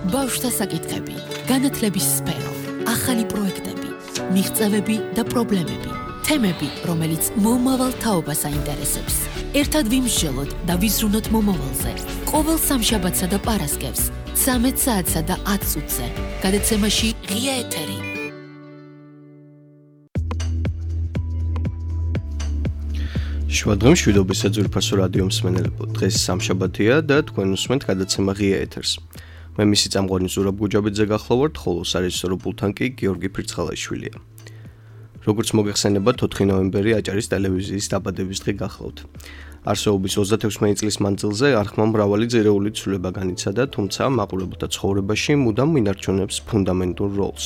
ბავშვთა საკითხები, განათლების სფერო, ახალი პროექტები, მიღწევები და პრობლემები, თემები, რომელიც მომავალ თაობას აინტერესებს. ერთად ვიმსჯელოთ და ვიზრუნოთ მომავალზე. ყოველ სამშაბათსა და პარასკევს, 13 საათსა და 10 წუთზე. გადაცემაში ღია ეთერი. შუადღემ მშვიდობისა ძვირფასო რადიო მსმენელებო, დღეს სამშაბათია და თქვენ უსმენთ გადაცემა ღია ეთერს. მე მისი წამყვანი ზურაბ გუჯაბიძე გახლავართ, ხოლო სარეჟისორო პულტთან კი გიორგი ფირცხალაიშვილია. როგორც მოგეხსენებათ, 4 ნოემბერი აჭარის ტელევიზიის დაბადების დღე გახლავთ. არსებობის 36 წლის მანძილზე არხმა მრავალი ძირეული ცვლილება განიცადა, თუმცა მაყურებელთა ცხოვრებაში მუდამ ინარჩუნებს ფუნდამენტურ როლს.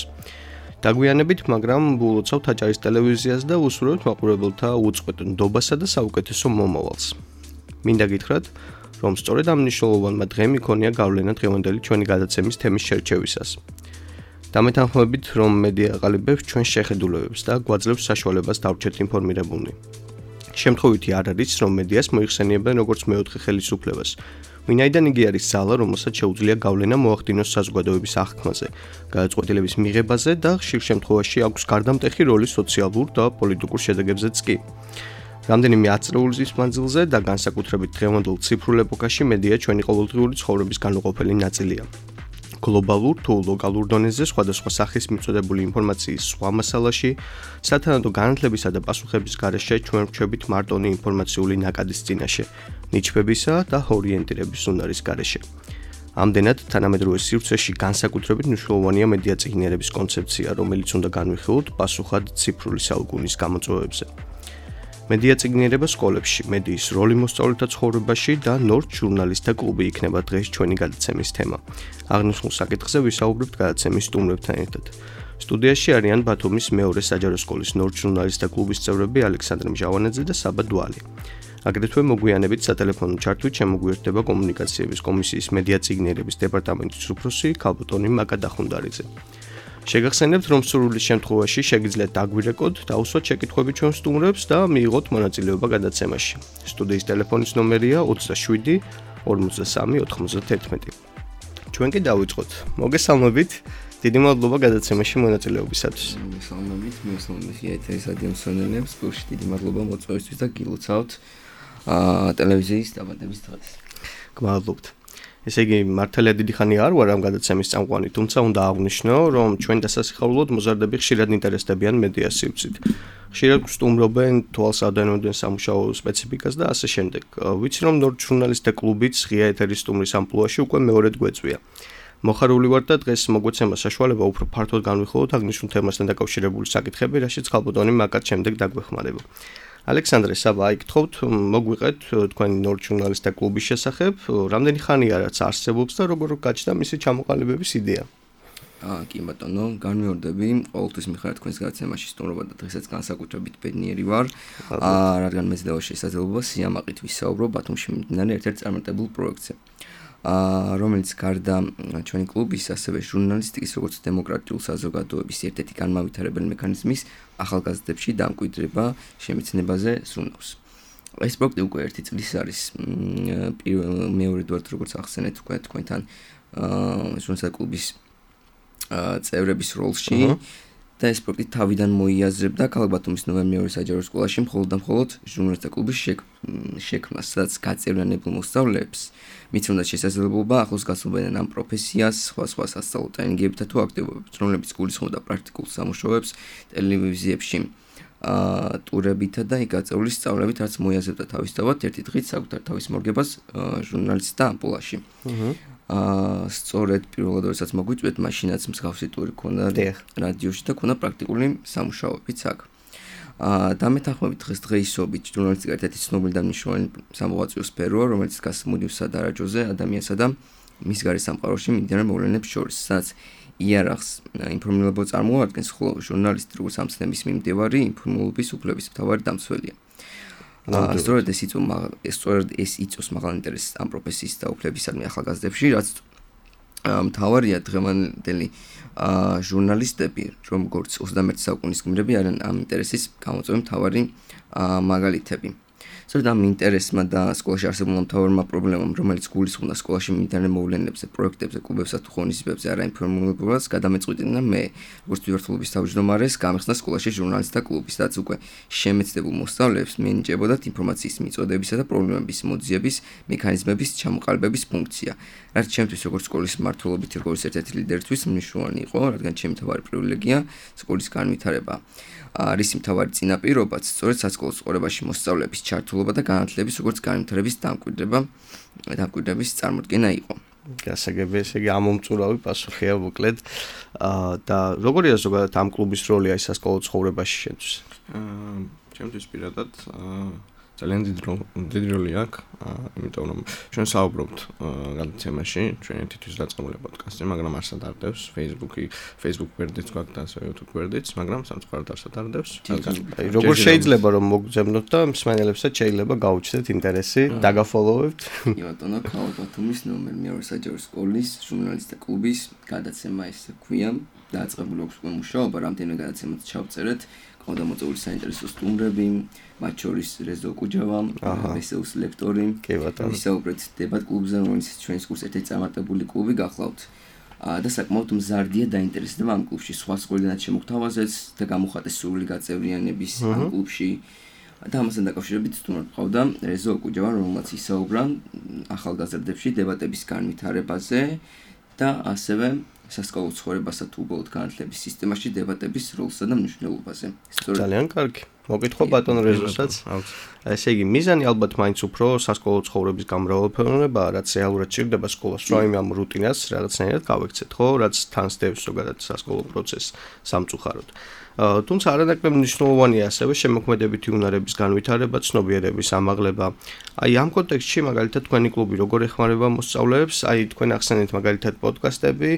დაგვიანებით, მაგრამ ულოცავთ აჭარის ტელევიზიას და უსურვებთ მაყურებელთა უწყვეტ ნდობასა და საუკეთესო მომავალს. მინდა გითხრათ, რომ სწორედ ამ მნიშვნელოვანმა დღემ იქონია გავლენა დღევანდელი ჩვენი გადაცემის თემის შერჩევისას. დამეთანხმებით, რომ მედია აყალიბებს ჩვენს შეხედულებებს და გვაძლევს საშუალებას დავრჩეთ ინფორმირებულნი. შემთხვევითი არ არის, რომ მედიას მოიხსენიებენ როგორც მეოთხე ხელისუფლებას. ვინაიდან იგი არის ძალა, რომელსაც შეუძლია გავლენა მოახდინოს საზოგადოების აღქმაზე, გადაწყვეტილების მიღებაზე და ხშირ შემთხვევაში აქვს გარდამტეხი როლი სოციალურ და პოლიტიკურ შედეგებზეც კი. რამდენიმე ათწლეულის მანძილზე და განსაკუთრებით დღევანდელ ციფრულ ეპოქაში მედია ჩვენი ყოველდღიური ცხოვრების განუყოფელი ნაწილია. გლობალურ თუ ლოკალურ დონეზე სხვადასხვა სახის მიწოდებული ინფორმაციის სხვა მასალაში, სათანადო განათლებისა და პასუხების გარეშე ჩვენ ვრჩებით მარტონი ინფორმაციული ნაკადის წინაშე, ნიჩბებისა და ორიენტირების უნარის გარეშე. ამდენად, თანამედროვე სივრცეში განსაკუთრებით მნიშვნელოვანია მედია წიგნიერების კონცეფცია, რომელიც უნდა განვიხილოთ პასუხად ციფრული საუკუნის გამოწვევებზე. მედია წიგნიერება სკოლებში, მედიის როლი მოსწავლეთა ცხოვრებაში და ნორჩ ჟურნალისტთა კლუბი იქნება დღეს ჩვენი გადაცემის თემა. აღნიშნულ საკითხზე ვისაუბრებთ გადაცემის სტუმრებთან ერთად. სტუდიაში არიან ბათუმის მეორე საჯარო სკოლის ნორჩ ჟურნალისტთა კლუბის წევრები ალექსანდრე მჟავანაძე და საბა დვალი. აგრეთვე მოგვიანებით სატელეფონო ჩართვით შემოგვიერთდება კომუნიკაციების კომისიის მედია წიგნიერების დეპარტამენტის უფროსი ქალბატონი მაკა დახუნდარიძე. შეგახსენებთ, რომ სურვილის შემთხვევაში შეგიძლიათ დაგვირეკოთ, დაუსვათ შეკითხვები ჩვენ სტუმრებს და მიიღოთ მონაწილეობა გადაცემაში. სტუდიის ტელეფონის ნომერია 27 53 91. ჩვენ კი დავიწყოთ. მოგესალმებით. დიდი მადლობა გადაცემაში მონაწილეობისათვის. მოგესალმებით, ეთერის რადიო მსმენელებს, გულში დიდი მადლობა მოწვევისთვის და გილოცავთ ტელევიზიის დაბადების დღეს. გმადლობთ. ესე იგი, მართალია დიდი ხანი არ ვარ ამ გადაცემის წამყვანი, თუმცა უნდა აღვნიშნო, რომ ჩვენ დასასახარულოდ მოზარდები ხშირად ინტერესდებიან მედია სივრცით. ხშირად გსტუმრობენ თვალს ადენოდნენ სამუშაო სპეციფიკას და ასე შემდეგ. ვიცი, რომ ნორჩ ჟურნალისტთა კლუბიც ღია ეთერის სტუმრის ამპლუაში უკვე მეორედ გვეწვია. მოხარული ვარ და დღეს მოგვეცემა საშუალება უფრო ფართოდ განვიხილოთ აღნიშნულ თემასთან დაკავშირებული საკითხები, რაშიც ქალბატონი მაკაც შემდეგ დაგვეხმარება. ალექსანდრე, საბა, აი გთხოვთ, მოგვიყეთ თქვენი ნორჩ ჟურნალისტთა კლუბის შესახებ, რამდენი ხანია რაც არსებობს და როგორ გაჩნდა მისი ჩამოყალიბების იდეა? კი ბატონო, განმეორდები, ყოველთვის მიხართ თქვენს გადაცემაში სტუმრობა და დღესაც განსაკუთრებით ბედნიერი ვარ, რადგან მეძლევა შესაძლებლობა სიამაყით ვისაუბრო ბათუმში მიმდინარე ერთ-ერთ წარმატებულ პროექტზე. რომელიც გარდა ჩვენი კლუბის, ასევე ჟურნალისტიკის, როგორც დემოკრატიულ საზოგადოების ერთ-ერთი განმავითარებელი მექანიზმის ახალგაზრდებში დამკვიდრება შემეცნებაზე ზრუნავს. ეს პროექტი უკვე 1 წლის არის, მეორედ ვართ როგორც ახსენეთ უკვე თქვენთან ჟურნალისტთა კლუბის წევრების როლში და ეს პროექტი თავიდან მოიაზრებდა ქალაქ ბათუმის ნომერ 2 საჯარო სკოლაში მხოლოდ და მხოლოდ ჟურნალისტთა კლუბის შექმნას, სადაც გაწევრიანებულ მოსწავლეებს მიცნობდა შესაძლებლობა ახლოს გასულიყნენ ამ პროფესიას, სხვა სასწავლო ტრენინგებითა თუ აქტივობებით, რომლებიც გულისხმობდა პრაქტიკულ სამუშაოებს ტელევიზიებში, ტურებითა და გაწეული სწავლებით, რაც მოიაზრებდა თავისთავად ერთი დღით საკუთარ თავის მორგებას ჟურნალისტთა ამპულაში. სწორედ პირველად როდესაც მოგვიწვიეთ, მაშინაც მსგავსი ტური ქონდა რადიოში და ქონდა პრაქტიკული სამუშაოებიც აქ. დამეთანხმებით დღესდღეობით ჟურნალისტიკა ერთ-ერთი ცნობილი და მნიშვნელოვანი სამოღვაწეო სფეროა, რომელიც დგას მუდმივსა და არაჯოზე ადამიანსა და მის გარე სამყაროში მიმდინარე მოვლენებს შორის, სადაც იარაღს ინფორმირება წარმოადგენს, ხოლო ჟურნალისტი როგორც ამ ცნების მიმდევარი ინფორმირების უფლების მთავარი დამცველია. სწორედ ეს იწვევს მაღალ ინტერესს ამ პროფესიის და უფლებისადმი ახალგაზრდებში, რაც მთავარია დღევანდელი ჟურნალისტები, როგორც 21 საუკუნის გმირები არიან ამ ინტერესის გამოწვევი მთავარი მაგალითები. სწორედ ამ ინტერესმა და სკოლაში არსებულმა მთავარმა პრობლემამ, რომელიც გულისხმობდა სკოლაში მიმდინარე მოვლენებზე, პროექტებზე, კლუბებსა თუ ღონისძიებებზე არაინფორმირებულობას, გადამეწყვეტინა მე, როგორც თვითმმართველობის თავმჯდომარეს, გამეხსნა სკოლაში ჟურნალისტთა კლუბი, სადაც უკვე შემეცდებულ მოსწავლეებს მიენიჭებოდათ ინფორმაციის მიწოდებისა და პრობლემების მოძიების მექანიზმების ჩამოყალიბების ფუნქცია. რაც ჩემთვის როგორც სკოლის მმართველობითი როგორც ერთ-ერთი ლიდერისთვის მნიშვნელოვანი იყო, რადგან ჩემი მთავარი პრივილეგია სკოლის განვითარება. რისი მთავარი წინაპირობაც სწორედ სასკოლო ცხოვრებაში მოსწავლეების ჩართულობა და განათლების როგორც განვითარების დამკვიდრების წარმოდგენა იყო. გასაგები, ესე იგი ამომწურავი პასუხია მოკლედ. და როგორია ზოგადად ამ კლუბის როლი აი სასკოლო ცხოვრებაში შენთვის? ჩემთვის პირადად ძალიან დიდი როლი აქვს, იმიტომ რომ ჩვენ საუბრობთ გადაცემაში, ჩვენ თვითონ დაწყებული პოდკასტი, მაგრამ არსად არდევს Facebook გვერდიც გვაქვს და ასევე YouTube გვერდიც, მაგრამ სამწუხაროდ არსად არდევს. აი როგორ შეიძლება რომ მოგძებნოთ და მსმენელებსაც შეიძლება გაუჩნდეთ ინტერესი, დაგაფოლოვებთ? კი ბატონო, ქალა ბათუმის ნომერ მეორე საჯარო სკოლის ჟურნალისტთა კლუბის გადაცემა ესე ქვია. დაწყებული აქვს უკვე მუშაობა, რამდენიმე გადაცემაც ჩავწერეთ. ყავდამოწეული საინტერესო სტუმრები, მათ შორის რეზო კუჯავა, ვესეუს ლექტორი. ვისაუბრეთ დებატ კლუბზე, რომელიც ჩვენს კურსს ერთ-ერთი წარმატებული კლუბი გახლავთ. და საკმაოდ მზარდია დაინტერესება ამ კლუბში, სხვა სკოლიდანაც შემოგთავაზეთ და გამოხატეს სრული გაწევრიანების ამ კლუბში. და ამასთან დაკავშირებით სტუმრად ყავდა რეზო კუჯავა, რომელმაც ისაუბრა ახალგაზრდებში დებატების განვითარებაზე და ასევე სასკოლო ცხოვრებასა თუ უბრალოდ განათლების სისტემაში დებატების როლსა და მნიშვნელობაზე. ძალიან კარგი. მოგითხო ბატონ რეზოსაც. ესე იგი, მიზანი ალბათ მაინც უფრო სასკოლო ცხოვრების გამრავალფეროვნებაა, რაც რეალურად ჭირდება სკოლას, რომ ამ რუტინას რაღაცნაირად გავექცეთ, ხო, რაც თან სდევს ზოგადად სასკოლო პროცესს სამწუხაროდ. თუმცა არანაკლებ მნიშვნელოვანია ასევე შემოქმედებითი უნარების განვითარება, ცნობიერების ამაღლება. აი ამ კონტექსტში მაგალითად თქვენი კლუბი როგორ ეხმარება მოსწავლეებს? აი თქვენ ახსენეთ მაგალითად პოდკასტები,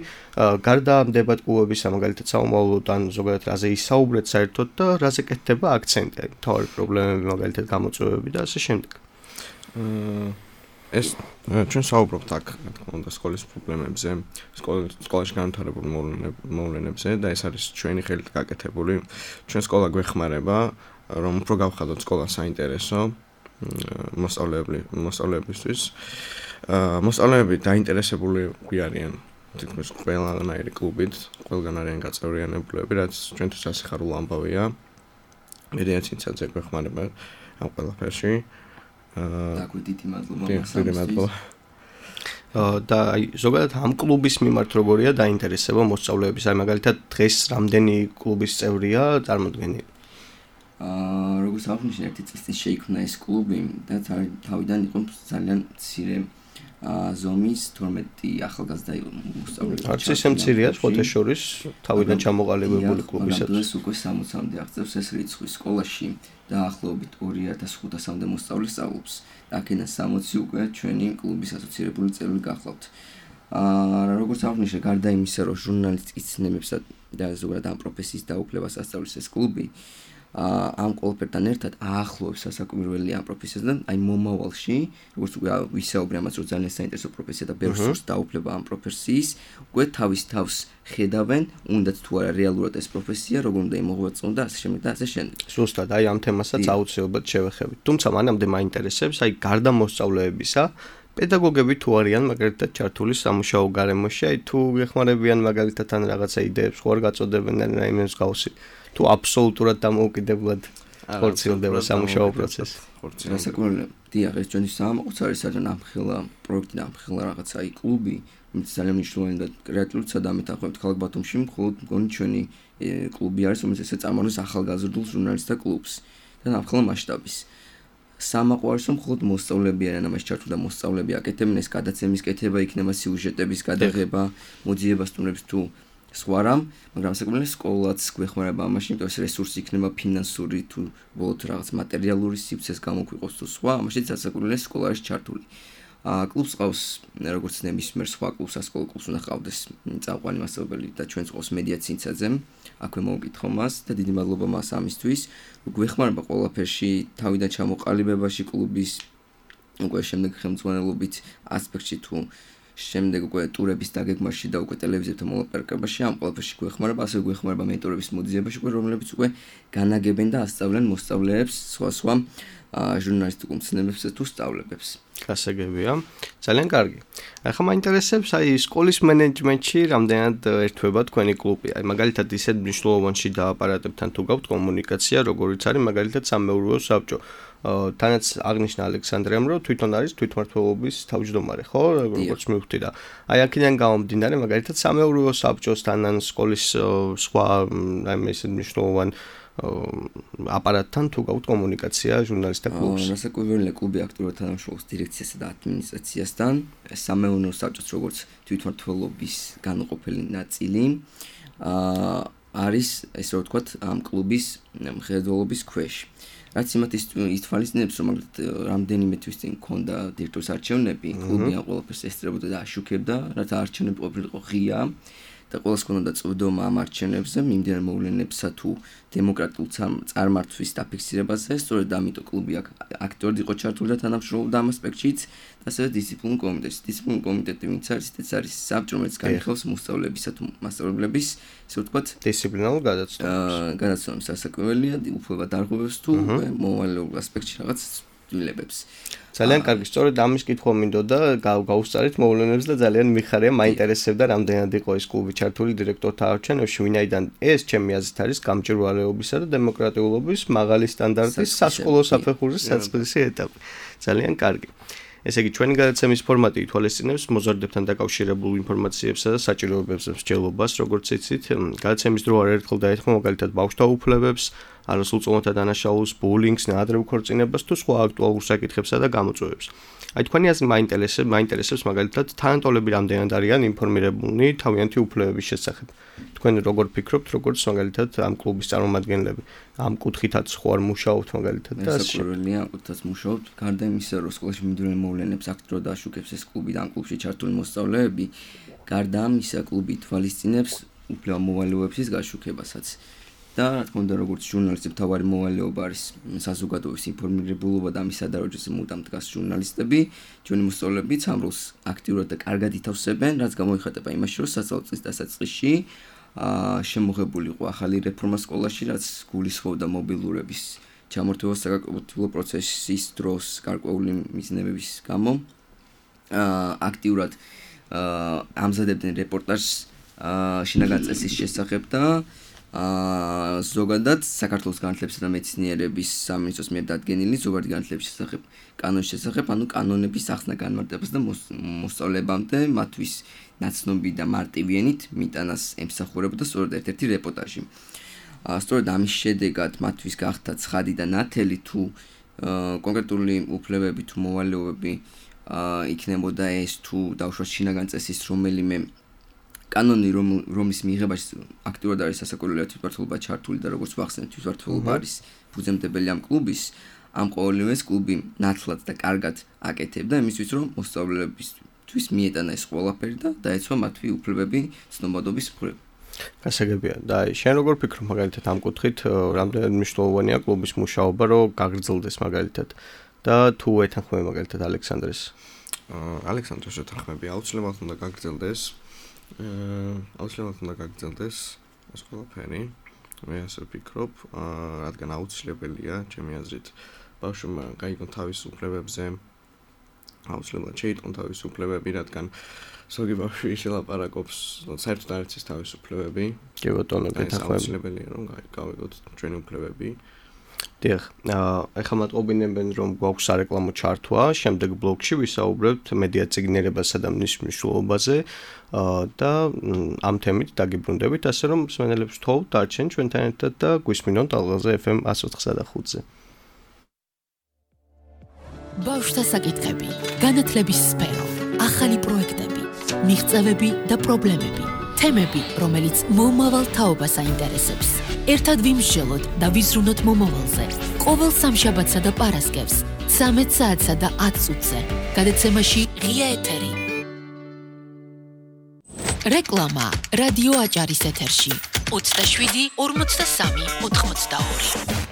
გარდა ამ დებატ კლუბებისა, მაგალითად საომავლოდ ან ზოგადად რაზე ისაუბრეთ საერთოდ და რაზე კეთდება აქცენტი, აი მთავარი პრობლემები მაგალითად გამოწვევები და ასე შემდეგ. ეს ჩვენ საუბრობთ აქ, რა თქმა უნდა, სკოლის პრობლემებზე, სკოლაში განვითარებულ მოვლენებზე და ეს არის ჩვენი ხელით გაკეთებული. ჩვენ სკოლა გვეხმარება, რომ უფრო გავხადოთ სკოლა საინტერესო მოსწავლეებისთვის. მოსწავლეები დაინტერესებული არიან თითქმის ყველანაირი კლუბით, ყველგან არიან გაწევრიანებულები, რაც ჩვენთვის ასიხარულო ამბავია. მედია ცინცაძე გვეხმარება ამ ყველაფერში. დიდი მადლობა. და აი ზოგადად ამ კლუბის მიმართ როგორია დაინტერესება მოსწავლეების? აი მაგალითად დღეს რამდენი კლუბის წევრია წარმოდგენილი? როგორც აღნიშნე, ერთი წლის წინ შეიქმნა ეს კლუბი და თავიდან იყო ძალიან მცირე ზომის 12 ახალგაზრდა მოსწავლე. არც ისე მცირეა, ხოთა შორის თავიდან ჩამოყალიბებული კლუბისათვის. ეს უკვე 60-მდე აღწევს ეს რიცხვი სკოლაში. დაახლოებით 2500-მდე მოსწავლე სწავლობს. აქედან 60 უკვე ჩვენი კლუბის ასოცირებული წევრი გახლავთ. როგორც აღნიშნე, გარდა იმისა, რომ ჟურნალისტიკის ცნებებსა და ზოგადად ამ პროფესიის დაუფლებას ასწავლის ეს კლუბი, ამ ყველაფერთან ერთად აახლოებს სასაკვირველი ამ პროფესიასთან, აი მომავალში, როგორც უკვე ვისაუბრე ამას, რომ ძალიან საინტერესო პროფესია და ბევრს სურს დაუფლება ამ პროფესიის, უკვე თავის თავს ხედავენ, უნდათ თუ არა რეალურად ეს პროფესია, როგორ უნდა იმოღვაწონ და ასე შემდეგ და ასე შემდეგ. ზუსტად, აი ამ თემასაც აუცილებლად შევეხებით. თუმცა მანამდე მაინტერესებს, აი გარდა მოსწავლეებისა, პედაგოგები თუ არიან მაგალითად ჩართული სამუშაო გარემოში, აი თუ ეხმარებიან მაგალითად ან რაღაცა იდეებს ხო არ გაწოდებენ რაიმე მსგავსი. თუ აბსოლუტურად დამოუკიდებლად ხორციელდება სამუშაო პროცესი. საკურველი, დიახ, ეს ჩვენი სამყუცარი საერთოდ ამხილა პროექტი და ამხილა რაღაცა აი კლუბი, რომელიც ძალიან მნიშვნელოვანი და კრეატიულიც დამეთანხმებით ქალაქ ბათუმში, მხოლოდ მგონი ჩვენი კლუბი არის, რომელიც ესე წარმოადგენს ახალგაზრდულ ჟურნალისტთა კლუბს და ამხილა მასშტაბის. სამაყვარს რომ მხოლოდ მოსწავლეები არიან ამაში ჩართული და მოსწავლეები აკეთებენ ეს გადაცემის კეთება, იქნება სიუჟეტების გადაღება, მოძიება სტუმრებს თუ სხვა რამ, მაგრამ საკმაოდ სკოლაც გვეხმარება ამაში, იმიტომ ეს რესურსი იქნება ფინანსური თუ ბოლოდ რაღაც მატერიალური სივრცეს გამოგვიყოს თუ სხვა, ამაშიც საკმაოდ სკოლა არის ჩართული. კლუბს ყავს როგორც ნებისმიერ სხვა კლუბს, სასკოლო კლუბს უნდა ყავდეს წამყვანი მასწავლებელი და ჩვენს ყავს მედია ცინცაძე. აქვე მოვკითხო მას და დიდი მადლობა მას ამისთვის. გვეხმარება ყველაფერში, თავიდან ჩამოყალიბებაში კლუბის უკვე შემდეგ ხელმძღვანელობით ასპექტში თუ შემდეგ უკვე ტურების დაგეგმაში და უკვე ტელევიზიასთან მოლაპარაკებაში ამ ყველაფერში გვეხმარება, ასე გვეხმარება მენტორების მოძიებაში, რომლებიც უკვე განაგებენ და ასწავლენ მოსწავლეებს სხვა ჟურნალისტიკურ მცნებებსა თუ სწავლებებს. გასაგებია. ძალიან კარგი. ახლა მაინტერესებს სკოლის მენეჯმენტში რამდენად ერთვება თქვენი კლუბი. მაგალითად ისეთ მნიშვნელოვანში დააპარატებთან თუ გაქვთ კომუნიკაცია, როგორიც არის მაგალითად სამეურვეო საბჭო. თანაც აღნიშნა ალექსანდრემ, რომ თვითონ არის თვითმმართველობის თავმჯდომარე, ხო? როგორც მივხვდი და აქედან გამომდინარე, მაგალითად სამეურვეო საბჭოსთან ან სკოლის სხვა ისეთ მნიშვნელოვან აპარატთან თუ გაქვთ კომუნიკაცია ჟურნალისტთა კლუბს. რასაკვირველია, კლუბი აქტიურად თანამშრომლობს დირექციასა და ადმინისტრაციასთან. სამეურვეო საბჭოს როგორც თვითმმართველობის განუყოფელი ნაწილი არის, ესე რომ ვთქვათ, ამ კლუბის მხედველობის ქვეშ. რაც იმათ ითვალისწინებს, რომ რამდენიმე თვის წინ მქონდა დირექტორის არჩევნები, კლუბი ამ ყველაფერს ესწრებოდა და აშუქებდა, რათა არჩევნები ყოფილიყო ღია და ყველას ქონოდა წვდომა ამ არჩევნებზე, მიმდინარე მოვლენებსა თუ დემოკრატიულ წარმართვის დაფიქსირებაზე, სწორედ ამიტომ კლუბი აქტიურად იყო ჩართული და თანამშრომლობდა ამ ასპექტშიც, და ასევე დისციპლინურ კომიტეტში. დისციპლინური კომიტეტი ვინც არის, ეს არის საბჭო, რომელიც განიხილავს მოსწავლეებისა თუ მასწავლებლების, ესე ვთქვათ, დისციპლინარულ გადაცემებს სასაკვირველია, უფლება დარღვევებს თუ მოვალეობრივ ასპექტში რაღაც ცვლილებებს. ძალიან კარგი, სწორედ ამის კითხვა მინდოდა, გავუსწარით მოვლენებს და ძალიან მიხარია, მაინტერესებდა რამდენად იყო ეს კლუბი ჩართული დირექტორთა არჩევნებში, ვინაიდან ეს ჩემი აზრით არის გამჭვირვალეობისა და დემოკრატიულობის მაღალი სტანდარტის სასკოლო საფეხურის საწყისი ეტაპი. ძალიან კარგი. ესე იგი, ჩვენი გადაცემის ფორმატი ითვალისწინებს მოზარდებთან დაკავშირებულ ინფორმაციებსა და საჭიროებებს მსჯელობას, როგორც იცით, გადაცემის დრო არაერთხელ დაეთმო მაგალითად ბავშვთა უფლებებს, არასრულწლოვანთა დანაშაულს, ბულინგს, ნაადრევ ქორწინებას თუ სხვა აქტუალურ საკითხებსა და გამოწვევებს. თქვენი აზრი მაინტერესებს მაგალითად თანატოლები რამდენად არიან ინფორმირებულნი თავიანთი უფლებების შესახებ. თქვენ როგორ ფიქრობთ, როგორც მაგალითად ამ კლუბის წარმომადგენლები? ამ კუთხითაც ხო არ მუშაობთ მაგალითად და სასწავლელია, ამ კუთხითაც მუშაობთ. გარდა იმისა, რომ სკოლაში მიმდინარე მოვლენებს აქტიურად აშუქებს ეს კლუბი და ამ კლუბში ჩართული მოსწავლეები, გარდა ამისა, კლუბი თვალისწინებს უფლება მოვალეობების გაშუქებასაც. და რა თქმა უნდა, როგორც ჟურნალისტი მთავარი მოვალეობა არის საზოგადოების ინფორმირებულობა და ამის სადაროჯოზე მუდამ დგას ჟურნალისტები, ჩვენი მოსწავლეებიც ამ როლს აქტიურად და კარგად ითავსებენ, რაც გამოიხატება იმაში, რომ სასწავლო წლის დასაწყისში შემოღებული იყო ახალი რეფორმა სკოლაში, რაც გულისხმობდა მობილურების ჩამორთმევას საკანონმდებლო პროცესის დროს გარკვეული მიზნებების გამო. აქტიურად ამზადებდნენ რეპორტაჟს შინაგან წესის შესახებ და ზოგადად საქართველოს განათლებისა და მეცნიერების სამინისტროს მიერ დადგენილი ზოგადი განათლების შესახებ კანონის შესახებ, ანუ კანონების ახსნა განმარტებას და მოსწავლეებამდე მათთვის ნაცნობი და მარტივიანით მიტანას ემსახურებოდა სწორედ ერთ-ერთი რეპორტაჟი. სწორედ ამის შედეგად მათთვის გახდა ცხადი და ნათელი თუ კონკრეტული უფლებები თუ მოვალეობები იქნებოდა ეს თუ დავუშვათ შინაგან წესის რომელიმე კანონი, რომლის მიღებაში აქტიურად არის სასაკოლეო თვითმმართველობა ჩართული და როგორც ვახსენეთ, თვითმმართველობა არის ფუძემდებელი ამ კლუბის, ამ ყოველივეს კლუბი ნათლად და კარგად აკეთებდა იმისთვის, რომ მოსწავლეებისთვის მიეტანა ეს ყველაფერი და დაეცვა მათი უფლებები ცნობადობის მხრივ. გასაგებია. და შენ როგორ ფიქრობ მაგალითად ამ კუთხით, რამდენად მნიშვნელოვანია კლუბის მუშაობა, რომ გაგრძელდეს მაგალითად და თუ ეთანხმები მაგალითად ალექსანდრეს? ალექსანდრეს ეთანხმები, აუცილებლად უნდა გაგრძელდეს. აუცილებლად უნდა გაგრძელდეს ეს ყველაფერი. მე ასე ვფიქრობ, რადგან აუცილებელია, ჩემი აზრით, ბავშვმა გაიგონ თავის უფლებებზე, აუცილებლად შეიტყონ თავის უფლებები, რადგან ზოგი ბავშვი შელაპარაკობს, საერთოდ არ იცის თავის უფლებები. კი ბატონო, ეთანხმები. აუცილებელია, რომ გავიგოთ ჩვენი უფლებები. დიახ, ახლა მატყობინებენ, რომ გვაქვს სარეკლამო ჩართვა, შემდეგ ბლოგში ვისაუბრებთ მედია წიგნიერებასა და მის მნიშვნელობაზე და ამ თემით დაგიბრუნდებით, ასე რომ მსმენელებს ვთხოვთ დარჩენ ჩვენთან ერთად და გვისმინონ ტალღაზე FM 104.5-ზე. ბავშვთა საკითხები, განათლების სფერო, ახალი პროექტები, მიღწევები და პრობლემები, თემები, რომელიც მომავალ თაობას აინტერესებს. ერთად ვიმსჯელოთ და ვიზრუნოთ მომავალზე. ყოველ სამშაბათსა და პარასკევს 13 საათსა და 10 წუთზე. გადაცემაში ღია ეთერი. რეკლამა რადიო აჭარის ეთერში 27 43 82.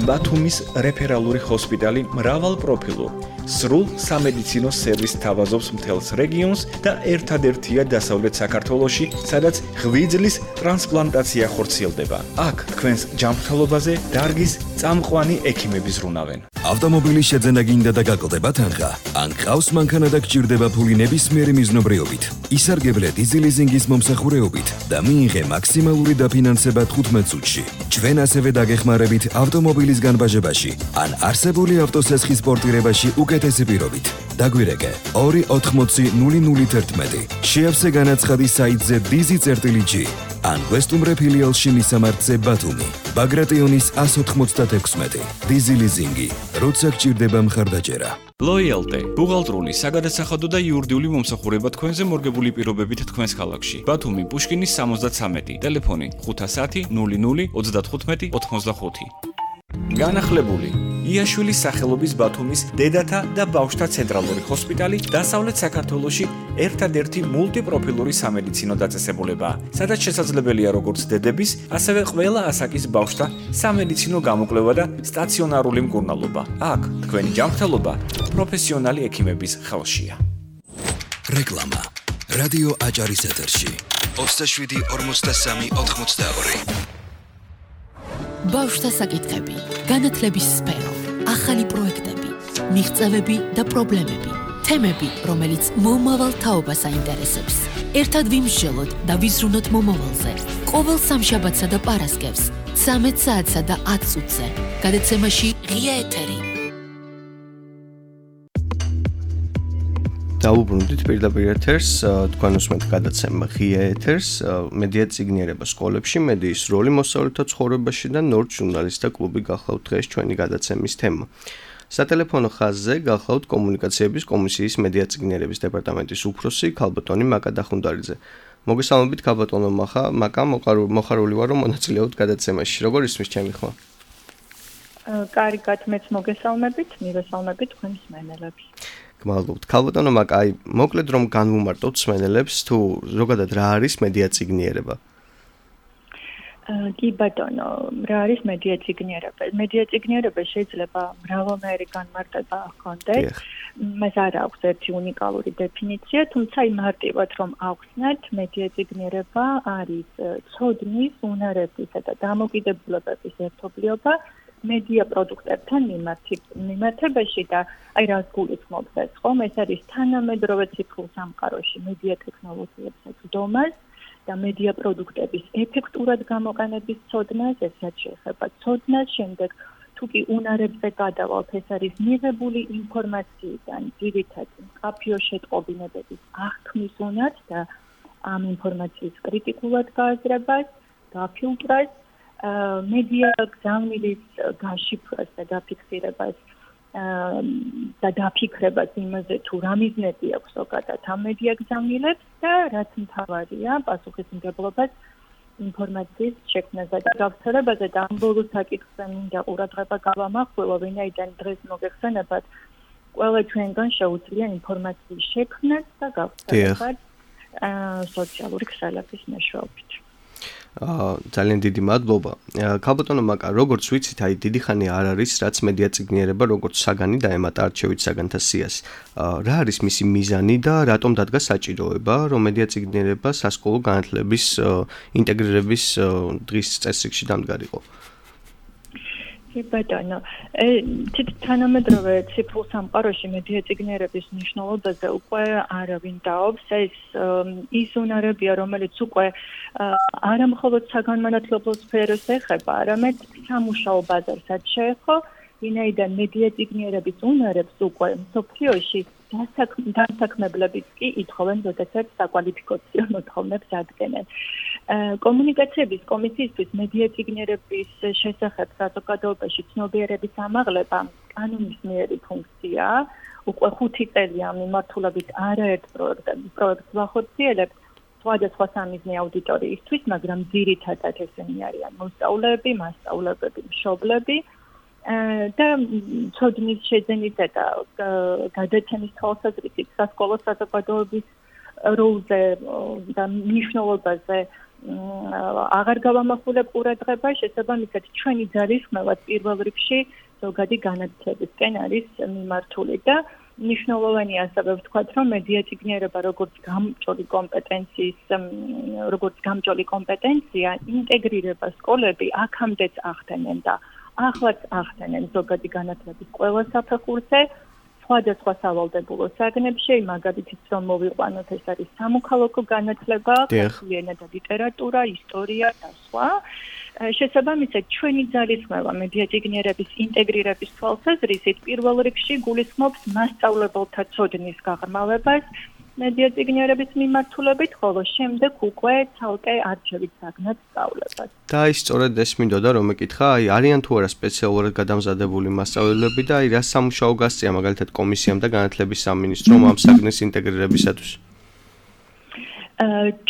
ბათუმის რეფერალური ჰოსპიტალი მრავალპროფილურ სრულ სამედიცინო სერვისს თავაზობს მთელს რეგიონს და ერთადერთია დასავლეთ საქართველოში, სადაც ღვიძლის ტრანსპლანტაცია ხორციელდება. აქ თქვენს ჯანმრთელობაზე დარგის წამყვანი ექიმები ზრუნავენ. ავტომობილის შეძენა გინდა და გაკლდება თანხა. ან ყავს მანქანა და გჭირდება ფული ნებისმიერი მიზნობრიობით. ისარგებლე დიზელიზინგის მომსახურეობით და მიიღე მაქსიმალური დაფინანსება 15 წუთში. ჩვენ ასევე დაგეხმარებით ავტომობილის განბაჟებაში ან არსებული ავტოსესხის პორტირებაში უკეთესი პირობით. დაგვირეკე 280 შეავსე განაცხადი საიტზე dizi.g ან ვესტუმრე ფილიალში მისამართზე ბათუმი. ბაგრატიონის 196. დიზელიზინგი. როცა გჭირდება მხარდაჭერა. Loyalty, ბუღალტრული, საგადასახადო და იურიდიული მომსახურება თქვენზე მორგებული პირობებით თქვენს ქალაქში. ბათუმი, პუშკინის 73, ტელეფონი 510 00 35 85. განახლებული იაშვილის სახელობის ბათუმის დედათა და ბავშვთა ცენტრალური ჰოსპიტალი დასავლეთ საქართველოში ერთადერთი მულტიპროფილური სამედიცინო დაწესებულებაა, სადაც შესაძლებელია როგორც დედების, ასევე ყველა ასაკის ბავშვთა სამედიცინო გამოკვლევა და სტაციონარული მკურნალობა. აქ თქვენი ჯანმრთელობა პროფესიონალი ექიმების ხელშია. რეკლამა. რადიო აჭარის ეთერში. 27 43 82. ბავშვთა საკითხები, განათლების სფერო, ახალი პროექტები, მიღწევები და პრობლემები, თემები, რომელიც მომავალ თაობას აინტერესებს. ერთად ვიმსჯელოთ და ვიზრუნოთ მომავალზე. ყოველ სამშაბათსა და პარასკევს, 13 საათსა და 10 წუთზე. გადაცემაში ღია ეთერი. დაუბრუნდით პირდაპირ ეთერს, თქვენ უსმენთ გადაცემა ღია ეთერს, მედია წიგნიერება სკოლებში, მედიის როლი მოსწავლეთა ცხოვრებაში და ნორდ ჟურნალისტთა კლუბი გახლავთ დღეს ჩვენი გადაცემის თემა. სატელეფონო ხაზზე გახლავთ კომუნიკაციების კომისიის მედია წიგნიერების დეპარტამენტის უფროსი ქალბატონი მაკა დახუნდარიძე. მოგესალმებით ქალბატონო მაკა, მოხარული ვარ რომ მონაწილეობთ გადაცემაში. როგორ ისმის ჩემი ხმა? კარგად, მეც მოგესალმებით, მივესალმებით თქვენს მსმენელებს. გმადლობთ. ქალბატონო მაკა, მოკლედ რომ განვუმარტოთ მსმენელებს თუ ზოგადად რა არის მედია წიგნიერება? კი ბატონო, რა არის მედია წიგნიერება? მედია წიგნიერება შეიძლება მრავალნაირი განმარტება ჰქონდეს. მას არ აქვს ერთი უნიკალური დეფინიცია, თუმცა იმარტივად რომ ავხსნათ, მედია წიგნიერება არის ცოდნის, უნარებისა და დამოკიდებულებების ერთობლიობა მედია პროდუქტებთან მიმართებაში და აი რას გულისხმობს ეს ხომ? ეს არის თანამედროვე ციფრულ სამყაროში მედია ტექნოლოგიებზე წვდომას და მედია პროდუქტების ეფექტურად გამოყენების ცოდნას, ესაც შეეხება ცოდნას, შემდეგ თუ კი უნარებზე გადავალთ, ეს არის მიღებული ინფორმაციიდან ძირითადი მკაფიო შეტყობინებების აღქმის უნარს და ამ ინფორმაციის კრიტიკულად გააზრებას, გაფილტრებას, მედია გზავნილის გაშიფრებას და დაფიქსირებას და დაფიქრებას იმაზე თუ რა მიზნები აქვს ზოგადად ამ მედია გზავნილებს და რაც მთავარია პასუხისმგებლობას ინფორმაციის შექმნაზე და გავრცელებაზე და ამ ბოლო საკითხზე მინდა ყურადღება გავამახვილო, ვინაიდან დღეს მოგეხსენებათ ყველა ჩვენგან შეუძლია ინფორმაციის შექმნას და გავრცელებას სოციალური ქსელების მეშვეობით. ძალიან დიდი მადლობა. ქალბატონო მაკა, როგორც ვიცით, აი დიდი ხანი არ არის, რაც მედია წიგნიერება როგორც საგანი დაემატა არჩევით საგანთა სიას. რა არის მისი მიზანი და რატომ დადგა საჭიროება, რომ მედია წიგნიერება სასკოლო განათლების ინტეგრირების დღის წესრიგში დამდგარიყო? ბატონო, თანამედროვე ციფრულ სამყაროში მედია წიგნიერების მნიშვნელობაზე უკვე არავინ დაობს. ეს ის უნარებია, რომელიც უკვე არა მხოლოდ საგანმანათლებლო სფეროს ეხება, არამედ სამუშაო ბაზარსაც შეეხო, ვინაიდან მედია წიგნიერების უნარებს უკვე მსოფლიოში დასაქმებლებიც კი ითხოვენ, როდესაც საკვალიფიკაციო მოთხოვნებს ადგენენ. კომუნიკაციების კომისიისთვის მედია წიგნიერების შესახებ საზოგადოებაში ცნობიერების ამაღლება კანონისმიერი ფუნქციაა. უკვე 5 წელია ამ მიმართულებით არაერთ პროექტს ვახორციელებთ სხვადასხვა სამიზნე აუდიტორიისთვის, მაგრამ ძირითადად ესენი არიან მოსწავლეები, მასწავლებლები, მშობლები და ცოდნის შეძენისა და გადაცემის თვალსაზრისით სასკოლო საზოგადოების როლზე და მნიშვნელობაზე აღარ გავამახვილებ ყურადღება, შესაბამისად ჩვენი ძალისხმევაც პირველ რიგში ზოგადი განათლებისკენ არის მიმართული და მნიშვნელოვანია ასევე ვთქვათ, რომ მედიაწიგნიერება როგორც გამჭოლი კომპეტენცია ინტეგრირება სკოლები აქამდეც ახდენენ და ახლაც ახდენენ ზოგადი განათლების ყველა საფეხურზე, სხვადასხვა სავალდებულო საგნებში, მაგალითად რომ მოვიყვანოთ, ეს არის სამოქალაქო განათლება, ქართული ენა და ლიტერატურა, ისტორია და სხვა. შესაბამისად, ჩვენი ძალისხმევა მედიაწიგნიერების ინტეგრირების თვალსაზრისით პირველ რიგში გულისხმობს მასწავლებელთა ცოდნის გაღრმავებას მედიაწიგნიერების მიმართულებით, ხოლო შემდეგ უკვე ცალკე არჩევით საგნად სწავლებას. და ის სწორედ ეს მინდოდა რომ ეკითხა, არიან თუ არა სპეციალურად გადამზადებული მასწავლებლები და რა სამუშაო გასწია მაგალითად კომისიამ და განათლების სამინისტრომ ამ საგნის ინტეგრირებისათვის?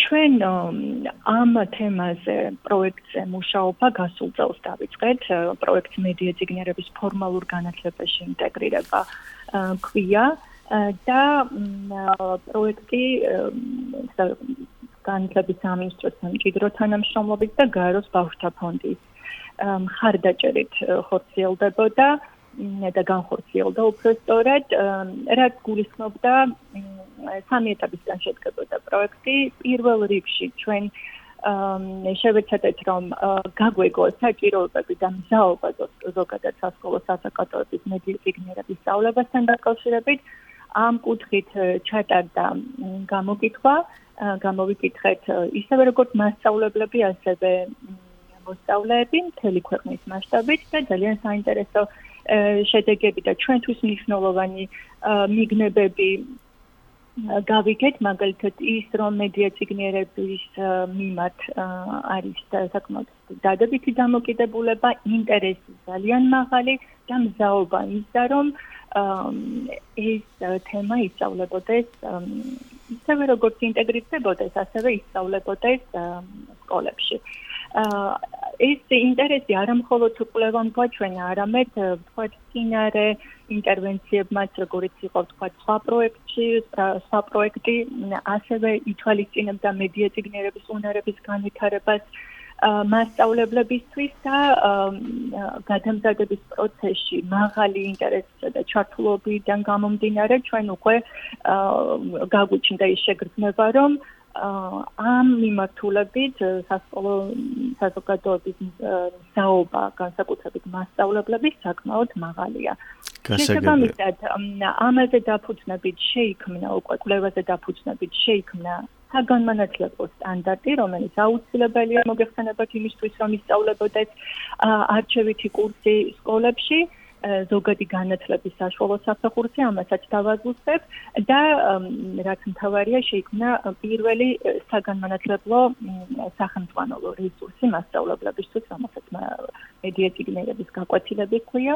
ჩვენ ამ თემაზე პროექტზე მუშაობა გასულ წელს დავიწყეთ, პროექტ მედიაწიგნიერების ფორმალურ განათლებაში ინტეგრირება ქვია და პროექტი განათლების სამინისტროს სამჭიდრო თანამშრომლობით და გაეროს ბავშვთა ფონდის მხარდაჭერით ხორციელდებოდა და განხორციელდა უფრო სწორად, რაც გულისხმობდა სამი ეტაპისგან შედგებოდა პროექტი. პირველ რიგში ჩვენ შევეცადეთ, რომ გაგვეგო საჭიროებები და მზაობა ზოგადად სასკოლო საზოგადოების მედიაწიგნიერების სწავლებასთან დაკავშირებით. ამ კუთხით ჩატარდა გამოვიკითხეთ ისევე როგორც მასწავლებლები, ასევე მოსწავლეები მთელი ქვეყნის მასშტაბით და ძალიან საინტერესო შედეგები და ჩვენთვის მნიშვნელოვანი მიგნებები გავიგეთ, მაგალითად ის, რომ მედიაწიგნიერების მიმართ არის საკმაოდ დადებითი დამოკიდებულება, ინტერესი ძალიან მაღალი და მზაობა ისა, რომ ეს თემა ისწავლებოდეს ისევე როგორც ინტეგრირდებოდეს, ასევე ისწავლებოდეს სკოლებში. ეს ინტერესი არა მხოლოდ კვლევამ გვაჩვენა, არამედ ვთქვათ წინარე ინტერვენციებმაც, როგორც იყო ვთქვათ სხვა პროექტი, ასევე ითვალისწინებდა მედიაწიგნიერების უნარების განვითარებას მასწავლებლებისთვის და გადამზადების პროცესში მაღალი ინტერესისა და ჩართულობიდან გამომდინარე ჩვენ უკვე გაგვიჩნდა ის შეგრძნება, რომ ამ მიმართულებით სასკოლო საზოგადოების მზაობა, განსაკუთრებით მასწავლებლების საკმაოდ მაღალია. შესაბამისად, ამაზე დაფუძნებით შეიქმნა უკვე კვლევაზე დაფუძნებით შეიქმნა საგანმანათლებლო სტანდარტი, რომელიც აუცილებელია მოგეხსენებათ იმისთვის, რომ ისწავლებოდეს არჩევითი კურსი სკოლებში. ზოგადი განათლების საშუალო საფეხურზე ამასაც დავაზუსტებ და რაც მთავარია შეიქმნა პირველი საგანმანათლებლო სახელმძღვანელო რესურსი მასწავლებლებისთვის, რომელსაც მედიაწიგნიერების გაკვეთილები ჰქვია.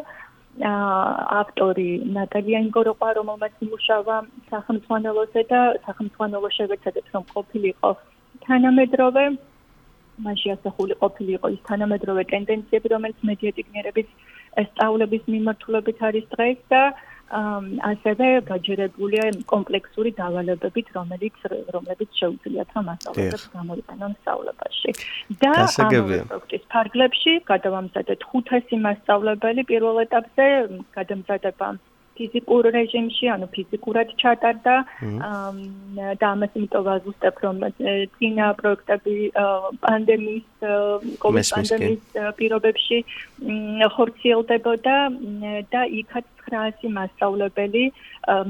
ავტორი ნატალია ინგოროყვა, რომელმაც იმუშავა სახელმძღვანელოზე და სახელმძღვანელო შევეცადეთ, რომ ყოფილიყო თანამედროვე, მასში ასახული ყოფილიყო ის თანამედროვე ტენდენციები, რომელიც მედიაწიგნიერების სწავლების მიმართულებით არის დღეს და ასევე გაჯერებულია კომპლექსური დავალებებით, რომლებიც შეუძლიათ რომ მასწავლებლებს გამოიყენონ სწავლებაში. და ამ პროექტის ფარგლებში გადავამზადეთ 500 მასწავლებელი პირველ ეტაპზე გადამზადება ფიზიკურ რეჟიმში, ანუ ფიზიკურად ჩატარდა და ამას იმიტომ ვაზუსტებ, რომ წინა პროექტები პანდემიის პირობებში ხორციელდებოდა და იქაც 900 მასწავლებელი,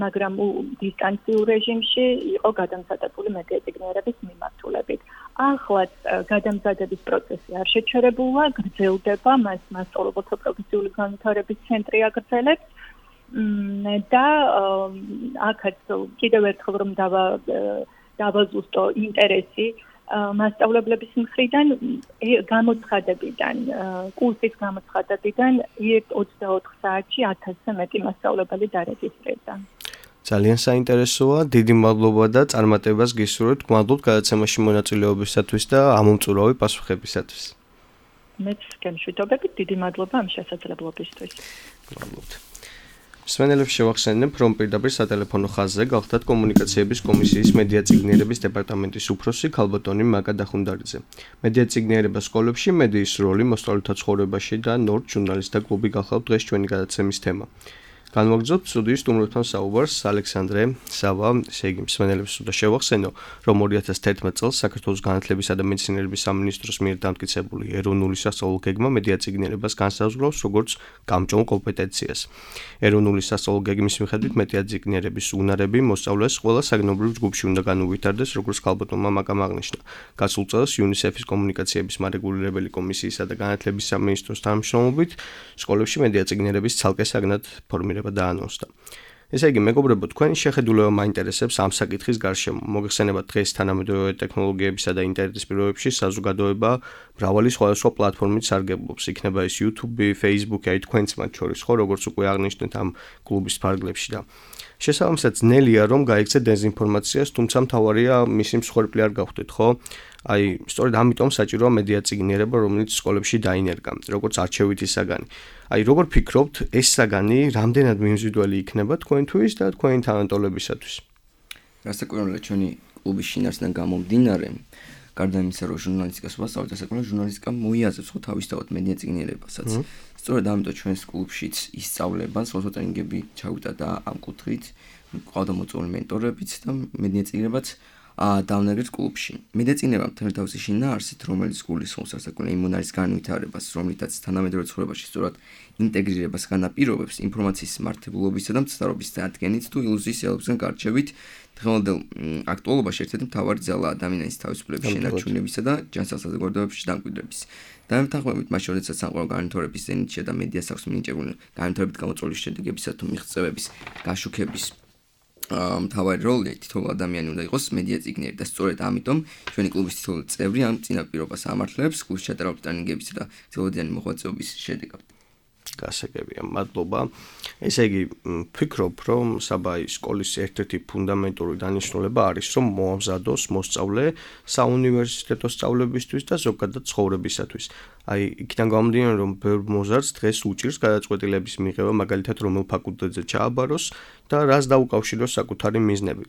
მაგრამ დისტანციურ რეჟიმში იყო გადამზადებული მედიაწიგნიერების მიმართულებით. ახლაც გადამზადების პროცესი არ შეჩერებულა, გრძელდება, მას მასწავლებელთა პროფესიული განვითარების ცენტრი აგრძელებს. და აქაც კიდევ ერთხელ რომ დავაზუსტო ინტერესი მასწავლებლების მხრიდან გამოცხადებიდან, კურსის გამოცხადებიდან 24 საათში 1000-ზე მეტი მასწავლებელი დარეგისტრირდა. ძალიან საინტერესოა, დიდი მადლობა და წარმატებას გისურვებთ. გმადლობთ გადაცემაში მონაწილეობისათვის და ამომწურავი პასუხებისათვის. მეც გემშვიდობებით, დიდი მადლობა ამ შესაძლებლობისთვის. გმადლობთ. მსმენელებს შევახსენებ, რომ პირდაპირ სატელეფონო ხაზზე გახდათ კომუნიკაციების კომისიის მედია წიგნიერების დეპარტამენტის უფროსი ქალბატონი მაკა დახუნდარიძე. მედია წიგნიერება სკოლებში, მედიის როლი მოსწავლეთა ცხოვრებაში და ნორდ ჟურნალისტთა კლუბი გახლავთ დღეს ჩვენი გადაცემის თემა. განვაგრძობთ სტუდიის სტუმრებთან საუბარს ალექსანდრე სავა, ესე იგი მსმენელებს უნდა შევახსენო, რომ 2011 წელს საქართველოს განათლებისა და მეცნიერების სამინისტროს მიერ დამტკიცებული ეროვნული სასწავლო გეგმა მედია წიგნიერებას განსაზღვრავს როგორც გამჭოლ კომპეტენციას. ეროვნული სასწავლო გეგმის მიხედვით მედია წიგნიერების უნარები მოსწავლეს ყველა საგნობრივ ჯგუფში უნდა განუვითარდეს, როგორც ქალბატონმა მაკამ აღნიშნა. გასულ წელს UNICEF-ის კომუნიკაციების მარეგულირებელი კომისიისა და განათლების სამინისტროს თანამშრომლობით სკოლებში მედია წიგნიერების ცალკე საგნად ფორმირება დაანონსდა. ესე იგი, მეგობრებო, თქვენი შეხედულება მაინტერესებს ამ საკითხის გარშემო. მოგეხსენებათ დღეს თანამედროვე ტექნოლოგიებისა და ინტერნეტის პირობებში საზოგადოება მრავალი სხვადასხვა პლატფორმით სარგებლობს. იქნება ეს YouTube, Facebook, აი თქვენც მათ შორის, ხო, როგორც უკვე აღნიშნეთ ამ კლუბის ფარგლებში და შესაბამისად ძნელია რომ გაიქცეთ დეზინფორმაციას, თუმცა მთავარია მისი მსხვერპლი არ გავხდეთ, ხო? აი, სწორედ ამიტომ საჭიროა მედია წიგნიერება, რომელიც სკოლებში დაინერგა, როგორც არჩევითი საგანი. აი, როგორ ფიქრობთ, ეს საგანი რამდენად მიმზიდველი იქნება თქვენთვის და თქვენი თანატოლებისათვის? რასაკვირველია, ჩვენი კლუბის შინაარსიდან გამომდინარე, გარდა იმისა, რომ ჟურნალისტიკას ვასწავლეთ, საკუთარ ჟურნალისტიკა მოიაზრებს ხო თავისთავად მედია წიგნიერებასაც. სწორედ ამიტომ ჩვენს კლუბშიც ისწავლება, სხვადასხვა ტრენინგები ჩავიტა და ამ კუთხით ყავდა მოწვეული მენტორებიც და მედია წიგნიერებაც დავნერგეთ კლუბში. მედია წიგნიერება მთელი თავისი შინაარსით, რომელიც გულისხმობს რასაკვირველია იმ უნარის განვითარებას, რომლითაც თანამედროვე ცხოვრებაში სწორად ინტეგრირებას განაპირობებს ინფორმაციის მართებულობისა და მცდარობის დადგენით თუ ილუზიის ელებსგან გარჩევით. დღევანდელ აქტუალობაში ერთ-ერთი მთავარი ძალა ადამიანის თავისუფლების შენარჩუნებისა და ჯანსაღ საზოგადოებაში დამკვიდრების. დამეთანხმებით მას შორისაც სამყარო განვითარების ზენიტში და მედიას აქვს მინიჭებული განვითარებით გამოწვეული შედეგებისა თუ მიღწევების გაშუქების მთავარი როლი თითოეულ ადამიანი უნდა იყოს მედია წიგნიერი და სწორედ ამიტომ ჩვენი კლუბის თითოეული წევრი ამ წინაპირობას ამართლებს კლუბში ჩატარებული ტრენინგებისა და ძველადიანი მოღვაწეობის შედეგად. გასაგებია, მადლობა. ესე იგი, ვფიქრობ, რომ საბაი სკოლის ერთ-ერთი ფუნდამენტური დანიშნულება არის, რომ მოამზადოს მოსწავლე საუნივერსიტეტო სწავლებისთვის და ზოგადად ცხოვრებისათვის. აი, იქიდან გამომდინარე, რომ ბევრ მოზარდს დღეს უჭირს გადაწყვეტილების მიღება, მაგალითად, რომელ ფაკულტეტზე ჩააბაროს და რას დაუკავშიროს საკუთარი მიზნები.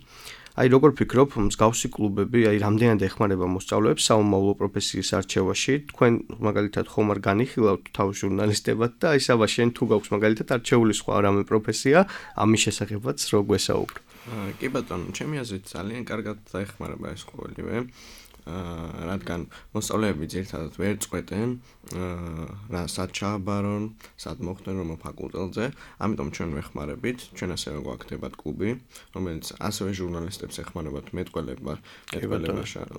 აი, როგორ ფიქრობ, მსგავსი კლუბები, აი, რამდენად ეხმარება მოსწავლეებს საომავლო პროფესიის არჩევაში? თქვენ მაგალითად ხომ არ განიხილავთ თავის ჟურნალისტებად და აი, საბა შენ თუ გაქვს მაგალითად არჩეული სხვა რამე პროფესია, ამის შესახებაც რო გვესაუბრო. კი ბატონო, ჩემი აზრით ძალიან კარგად დაეხმარება ეს ყოველივე. რადგან მოსწავლეები ძირითადად ვერ წყვეტენ რა სად ჩააბარონ, სად მოხდნენ რომ ფაკულტეტზე, ამიტომ ჩვენ ვეხმარებით, ჩვენ ასევე გვაქვს კლუბი, რომელიც ასევე ჟურნალისტებს ეხმარებათ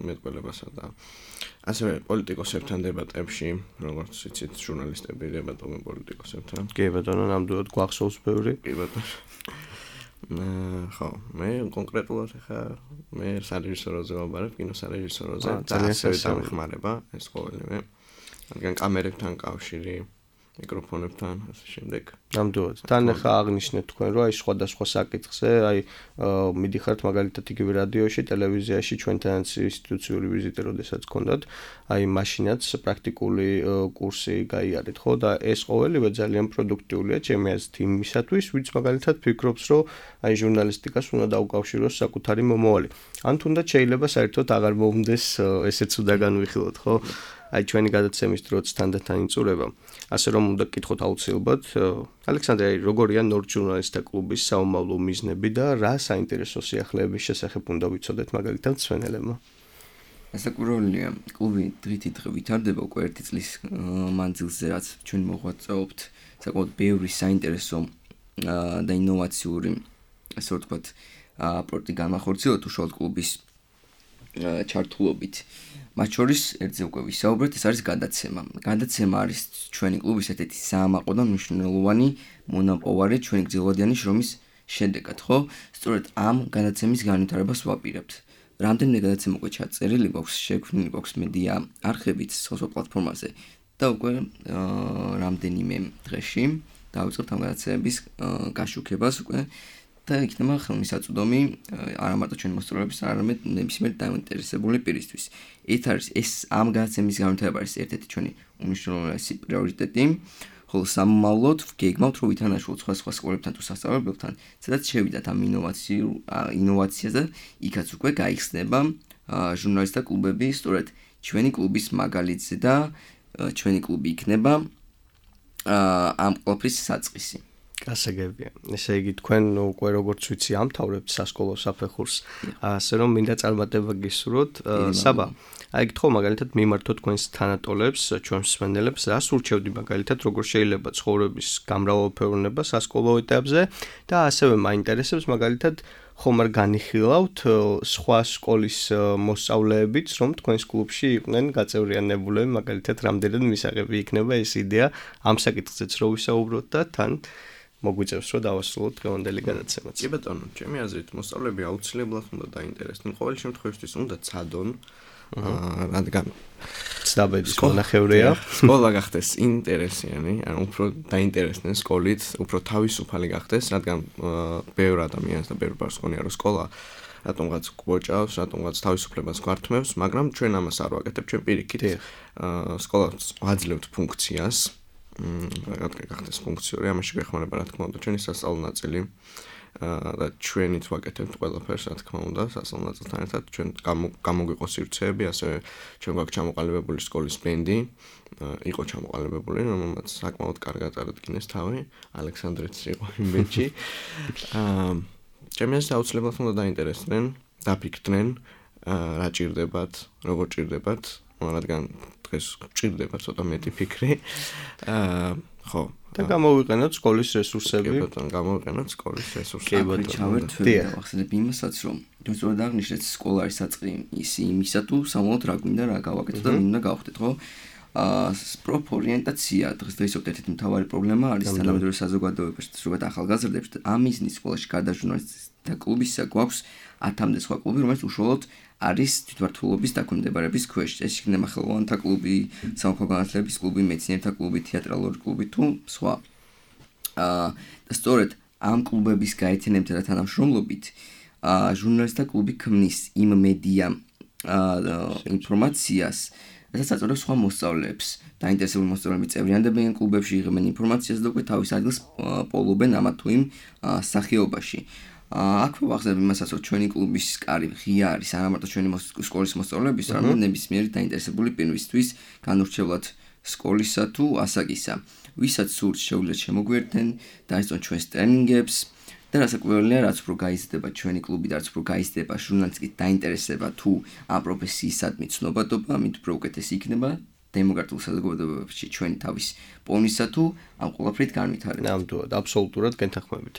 მეტყველებასა და ასევე პოლიტიკოსებთან დებატებში, როგორც იცით, ჟურნალისტები დებატობენ პოლიტიკოსებთან. კი ბატონო, ნამდვილად გვახსოვს ბევრი. კი ბატონო. ხო, მე კონკრეტულად ხა მე სარეჟისოროზე ვაბარებ, კინოსარეჟისოროზე და ასევე დამეხმარება ეს ყოველივე. რადგან კამერებთან კავშირი, მიკროფონებთან, ასე შემდეგ. ნამდვილად. თან ხა აღნიშნეთ თქვენ, რომ აი სხვადასხვა საკითხზე, აი მიდიხართ მაგალითად იგივე რადიოში, ტელევიზიაში ჩვენთანაც ინსტიტუციური ვიზიტი როდესაც გქონდათ, აი მაშინაც პრაქტიკული კურსი გაიარეთ, ხო? და ეს ყოველივე ძალიან პროდუქტიულია ჩემი აზრით იმისათვის, ვინც მაგალითად ფიქრობს, რომ აი ჟურნალისტიკას უნდა დაუკავშიროს საკუთარი მომავალი. ან თუნდაც შეიძლება საერთოდ აღარ მომდეს ესეც უნდა განვიხილოთ, ხო? აი ჩვენი გადაცემის დროც თანდათან იწურება. ასე რომ უნდა გკითხოთ აუცილებლად, ალექსანდრე, როგორია ნორდ ჟურნალისტთა კლუბის საომავლო მიზნები და რა საინტერესო სიახლეების შესახებ უნდა ვიცოდეთ მაგალითად მსმენელებმა? რასაკვირველია, კლუბი დღითიდღე ვითარდება უკვე 1 წლის მანძილზე, რაც ჩვენ მოღვაწეობთ საკმაოდ ბევრი საინტერესო და ინოვაციური, ასე ვთქვათ, პროექტი განახორციელა უშუალოდ კლუბის ჩართულობით. მათ შორის ერთზე უკვე ვისაუბრეთ, ეს არის გადაცემა. გადაცემა არის ჩვენი კლუბის ერთ-ერთი საამაყო და მნიშვნელოვანი მონაპოვარი ჩვენი გრძელვადიანი შრომის შედეგად, ხო? სწორედ ამ გადაცემის განვითარებას ვაპირებთ. რამდენიმე გადაცემა უკვე ჩაწერილი გვაქვს, შექმნილი გვაქვს მედია არხებით social პლატფორმაზე და უკვე რამდენიმე დღეში დავიწყებთ ამ გადაცემების გაშუქებას უკვე და იქნება ხელმისაწვდომი არა მარტო ჩვენი მოსწავლეების, არამედ ნებისმიერ დაინტერესებული პირისთვის. ეს არის ამ გადაცემის განვითარება არის ერთ-ერთი ჩვენი უმნიშვნელოვანესი პრიორიტეტი, ხოლო სამომავლოდ გეგმავთ, რომ ვითანაშუალოთ სხვა სკოლებთან თუ სასწავლებელთან, სადაც შევიდათ ამ ინოვაციას და იქაც უკვე გაიხსნება ჟურნალისტთა კლუბები, სწორედ ჩვენი კლუბის მაგალითზე და ჩვენი კლუბი იქნება ამ ყველაფრის საწყისი. გასაგებია. ესე იგი თქვენ უკვე როგორც ვიცი ამთავრებთ სასკოლო საფეხურს, ასე რომ მინდა წარმატება გისურვოთ. საბა, აი გითხო მაგალითად მიმართოთ თქვენს თანატოლებს, ჩვენს მსმენელებს, რას ურჩევდი მაგალითად როგორ შეიძლება ცხოვრების გამრავალფეროვნება სასკოლო ეტაპზე და ასევე მაინტერესებს მაგალითად ხომ არ განიხილავთ სხვა სკოლის მოსწავლეებიც, რომ თქვენს კლუბში იყვნენ გაწევრიანებულები, მაგალითად რამდენად მისაღები იქნება ეს იდეა ამ საკითხზეც რო ვისაუბროთ და თან მოგვიწევს რომ დავასრულოთ დღევანდელი გადაცემაც. კი ბატონო, ჩემი აზრით მოსწავლეები აუცილებლად უნდა დაინტერესდნენ. ყოველ შემთხვევაში უნდა ცადონ, რადგან ცდაბედის მონახევრია. სკოლა გახდეს ინტერესიანი, ანუ უფრო დაინტერესდნენ სკოლით, უფრო თავისუფალი გახდეს, რადგან ბევრ ადამიანს და ბევრ ბავშვს ხონია რომ სკოლა რატომღაც გვოჭავს, რატომღაც თავისუფლებას გვართმევს, მაგრამ ჩვენ ამას არ ვაკეთებთ, ჩვენ პირიქით სკოლას ვაძლევთ ფუნქციას. გახდეს ფუნქციური, ამაში გეხმარება რა თქმა უნდა ჩვენი სასწავლო ნაწილი და ჩვენით ვაკეთებთ ყველაფერს რა თქმა უნდა სასწავლო ნაწილთან ერთად ჩვენ გამოგვიყოს სივრცეები, ასევე ჩვენ გვაქვს ჩამოყალიბებული სკოლის ბენდი, იყო ჩამოყალიბებული, რომელმაც საკმაოდ კარგად წარადგინეს თავი, ალექსანდრეც იყო იმ ბენდში. ჩემს აუცილებლად უნდა დაინტერესდნენ, დაფიქრდნენ, რა ჭირდებათ, როგორ ჭირდებათ, რადგან დღეს ჭირდება ცოტა მეტი ფიქრი. ხო. და გამოვიყენოთ სკოლის რესურსები. კი ბატონო, გამოვიყენოთ სკოლის რესურსები. კი ბატონო, ჩავერთვით ახსენებ იმასაც, რომ თუ სწორად აღნიშნეთ, სკოლა არის საწყი იმისა თუ სამომავლოდ რა გვინდა რა გავაკეთოთ და მინდა გავხდეთ, ხო? პროფორიენტაცია დღესდღეობით ერთ-ერთი მთავარი პრობლემა არის თანამედროვე საზოგადოებაში, ზოგადად ახალგაზრდებს. ამ მიზნის სკოლაში გარდა ჟურნალისტთა კლუბისა გვაქვს 10-მდე სხვა კლუბი, რომელიც უშუალოდ არის თვითმმართველობის დაქვემდებარების ქვეშ. ეს იქნება ხელოვანთა კლუბი, სამოქალაქო განათლების კლუბი, მეცნიერთა კლუბი, თეატრალური კლუბი თუ სხვა. და სწორედ ამ კლუბების გაერთიანებითა და თანამშრომლობით ჟურნალისტთა კლუბი ქმნის იმ მედია ინფორმაციას, რასაც აწარმოებს სხვა მოსწავლეებს. დაინტერესებული მოსწავლეები წევრიანდებიან კლუბებში, იღებენ ინფორმაციას და უკვე თავის ადგილს პოულობენ ამა თუ იმ სახეობაში. აქვე ვახსენებ იმასაც, რომ ჩვენი კლუბის კარი ღია არის არა მარტო ჩვენი სკოლის მოსწავლეების, არამედ ნებისმიერი დაინტერესებული პირისთვის, განურჩევლად სკოლისა თუ ასაკისა. ვისაც სურს შეუძლიათ შემოგვიერთდნენ, დაესწრონ ჩვენს ტრენინგებს და რასაკვირველია, რაც უფრო გაიზრდება ჩვენი კლუბი და რაც უფრო გაიზრდება ჟურნალისტიკის დაინტერესება თუ ამ პროფესიისადმი ცნობადობა, მით უფრო უკეთესი იქნება დემოკრატიულ საზოგადოებებში ჩვენი თავის პოვნისა თუ ამ ყველაფრით განვითარება. ნამდვილად, აბსოლუტურად გეთანხმებით.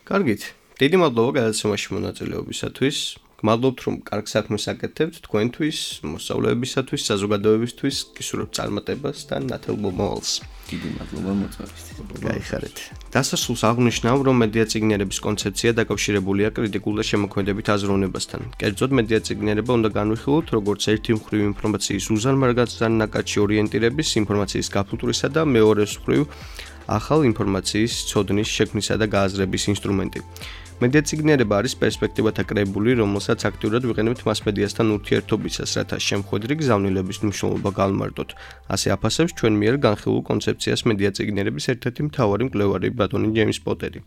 კარგით. დიდი მადლობა გადაცემაში მონაწილეობისათვის. გმადლობთ რომ კარგ საქმეს აკეთებთ თქვენთვის, მოსწავლეებისათვის, საზოგადოებისთვის, გისურვებთ წარმატებას და ნათელ მომავალს. დიდი მადლობა მოწვევისთვის. გაიხარეთ. დასასრულს აღნიშნავ, რომ მედია წიგნიერების კონცეფცია დაკავშირებულია კრიტიკულ და შემოქმედებით აზროვნებასთან. კერძოდ მედია წიგნიერება უნდა განვიხილოთ როგორც ერთი მხრივ ინფორმაციის უზარმაზარნაკადში ორიენტირების, ინფორმაციის გაფუტვრისა და მეორე მხრივ ახალ ინფორმაციის ცოდნის შექმნისა და გააზრების ინსტრუმენტი. მედია წიგნიერება არის პერსპექტივათა კრებული, რომელსაც აქტიურად ვიყენებთ მასმედიასთან ურთიერთობისას, რათა შემხვედრი გზავნილების მნიშვნელობა გავმარტოთ. ასე აფასებს ჩვენ მიერ განხილულ კონცეფციას მედია წიგნიერების ერთ-ერთი მთავარი მკვლევარი ბატონი ჯეიმს პოტერი.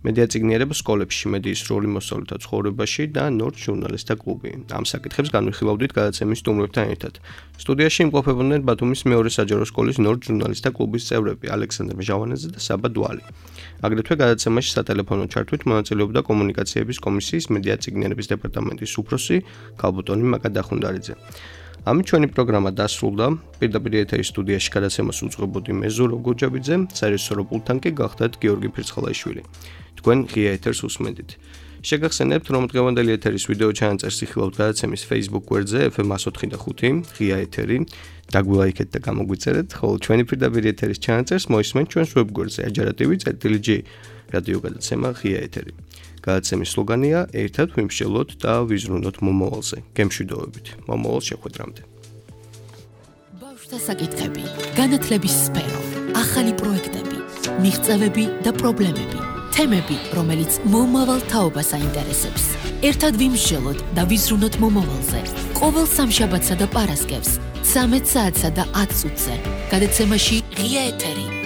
მედია წიგნიერება სკოლებში, მედიის როლი მოსწავლეთა ცხოვრებაში და ნორდ ჟურნალისტთა კლუბი. ამ საკითხებს განვიხილავდით გადაცემის სტუმრებთან ერთად. სტუდიაში იმყოფებოდნენ ბათუმის მეორე საჯარო სკოლის ნორდ ჟურნალისტთა კლუბის წევრები ალექსანდრე ჟავანაძე და საბა დვალი. აგრეთვე გადაცემაში სატელეფონო ჩართვით მონაწილეობდა კომუნიკაციების კომისიის მედია წიგნიერების დეპარტამენტის უფროსი ქალბატონი მაკა დახუნდარიძე. ამით ჩვენი პროგრამა დასრულდა. პირდაპირ ეთერის სტუდიაში გადაცემას უწყობოდი მე ზურაბ გოჯაბიძე, საერთაშორისო პულტთან კი გახდათ გიორგი ფირცხალაიშვილი. თქვენ ღია ეთერს უსმენთ. შეგახსენებთ, რომ დღევანდელი ეთერის ვიდეო ჩანაწერს იხილავთ გადაცემის Facebook გვერდზე FM 104.5 ღია ეთერი. დაგვილაიქეთ და გამოგვიწერეთ, ხოლო ჩვენი პირდაპირ ეთერის ჩანაწერს მოისმენთ ჩვენს web გვერდზე ajarativ.g რადიო გადაცემა ღია ეთერი. გადაცემის სლოგანია ერთად ვიმსჯელოთ და ვიზრუნოთ მომავალზე. გემშვიდობებით. მომავალ შეხვედრამდე. ბავშვთა საკითხები, განათლების სფერო, ახალი პროექტები, მიღწევები და პრობლემები. თემები, რომელიც მომავალ თაობას აინტერესებს. ერთად ვიმსჯელოთ და ვიზრუნოთ მომავალზე. ყოველ სამშაბათსა და პარასკევს 13 საათსა და 10 წუთზე. გადაცემაში ღია ეთერი.